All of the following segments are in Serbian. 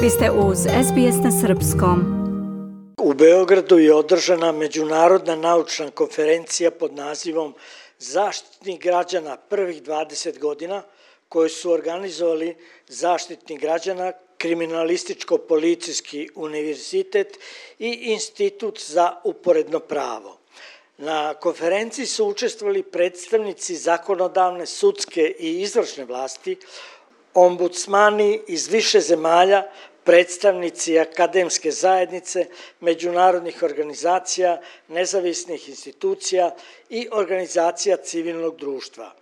Vi ste uz SBS na srpskom. U Beogradu je održana međunarodna naučna konferencija pod nazivom Zaštitnik građana prvih 20 godina, koju su organizovali Zaštitnik građana, Kriminalističko-policijski univerzitet i Institut za uporedno pravo. Na konferenciji su učestvovali predstavnici zakonodavne, sudske i izvršne vlasti, ombudsmani iz više zemalja, predstavnici akademske zajednice, međunarodnih organizacija, nezavisnih institucija i organizacija civilnog društva.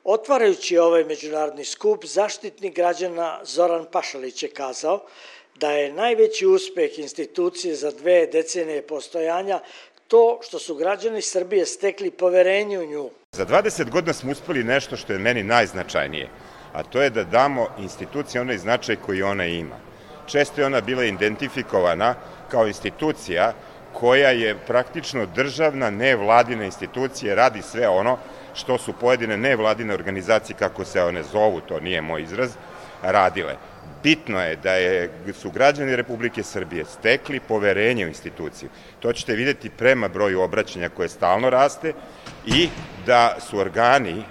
Otvarajući ovaj međunarodni skup, Zaštitnik građana Zoran Pašalić je kazao da je najveći uspeh institucije za 2 decenije postojanja to što su građani Srbije stekli poverenje u nju. Za 20 godina smo uspeli nešto što je meni najznačajnije, a to je da damo instituciji onaj značaj koji ona ima. Često je ona bila identifikovana kao institucija koja je praktično državna nevladina institucija, radi sve ono što su pojedine nevladine organizacije, kako se one zovu, to nije moj izraz, radile. Bitno je da su građani Republike Srbije stekli poverenje u instituciju. To ćete vidjeti prema broju obraćanja koje stalno raste i da su organi,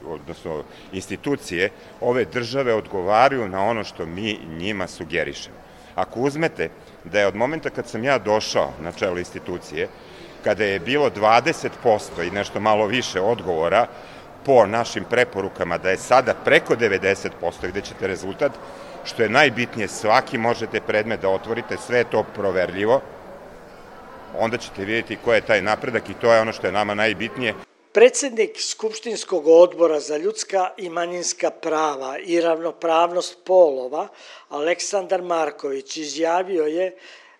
odnosno institucije ove države odgovaraju na ono što mi njima sugerišemo. Ako uzmete da je od momenta kad sam ja došao na čelo institucije, kada je bilo 20% i nešto malo više odgovora po našim preporukama, da je sada preko 90%, gde ćete rezultat, što je najbitnije, svaki možete predmet da otvorite, sve je to proverljivo, onda ćete vidjeti ko je taj napredak i to je ono što je nama najbitnije. Predsednik Skupštinskog odbora za ljudska i manjinska prava i ravnopravnost polova, Aleksandar Marković, izjavio je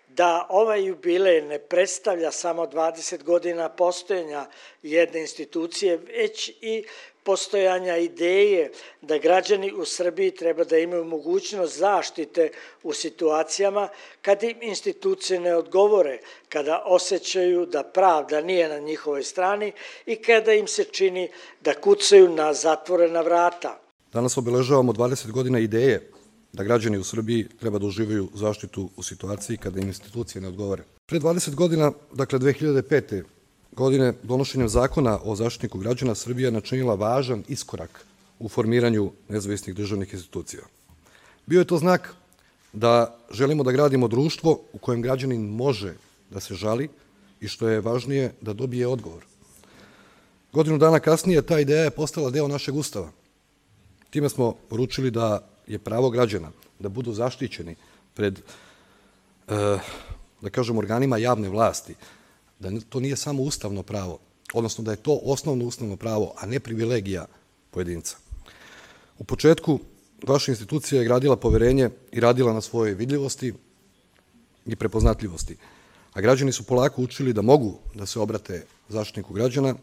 da ovaj jubilej ne predstavlja samo 20 godina postojanja jedne institucije, već i postojanja ideje da građani u Srbiji treba da imaju mogućnost zaštite u situacijama kad im institucije ne odgovore, kada osjećaju da pravda nije na njihovoj strani i kada im se čini da kucaju na zatvorena vrata. Danas obeležavamo 20 godina ideje da građani u Srbiji treba da uživaju zaštitu u situaciji kada im institucije ne odgovore. Pre 20 godina, dakle 2005. godine, donošenjem zakona o Zaštitniku građana, Srbija je načinila važan iskorak u formiranju nezavisnih državnih institucija. Bio je to znak da želimo da gradimo društvo u kojem građanin može da se žali i, što je važnije, da dobije odgovor. Godinu dana kasnije ta ideja je postala deo našeg Ustava. Time smo poručili da je pravo građana da budu zaštićeni pred, da kažem, organima javne vlasti, da to nije samo ustavno pravo, odnosno da je to osnovno ustavno pravo, a ne privilegija pojedinca. U početku vaša institucija je gradila poverenje i radila na svojoj vidljivosti i prepoznatljivosti, a građani su polako učili da mogu da se obrate Zaštitniku građana.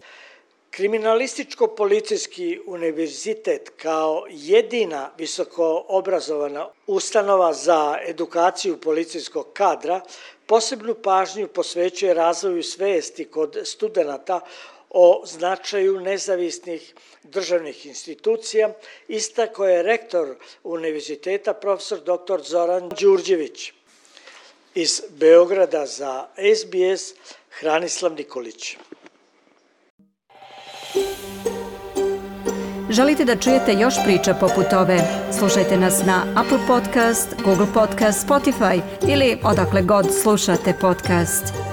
Kriminalističko-policijski univerzitet kao jedina visoko obrazovana ustanova za edukaciju policijskog kadra posebnu pažnju posvećuje razvoju svesti kod studenata o značaju nezavisnih državnih institucija, istakao je rektor univerziteta profesor dr. Zoran Đurđević. Iz Beograda za SBS Hranislav Nikolić. Želite da čujete još priča poput ove? Slušajte nas na Apple Podcast, Google Podcast, Spotify ili odakle god slušate podcast.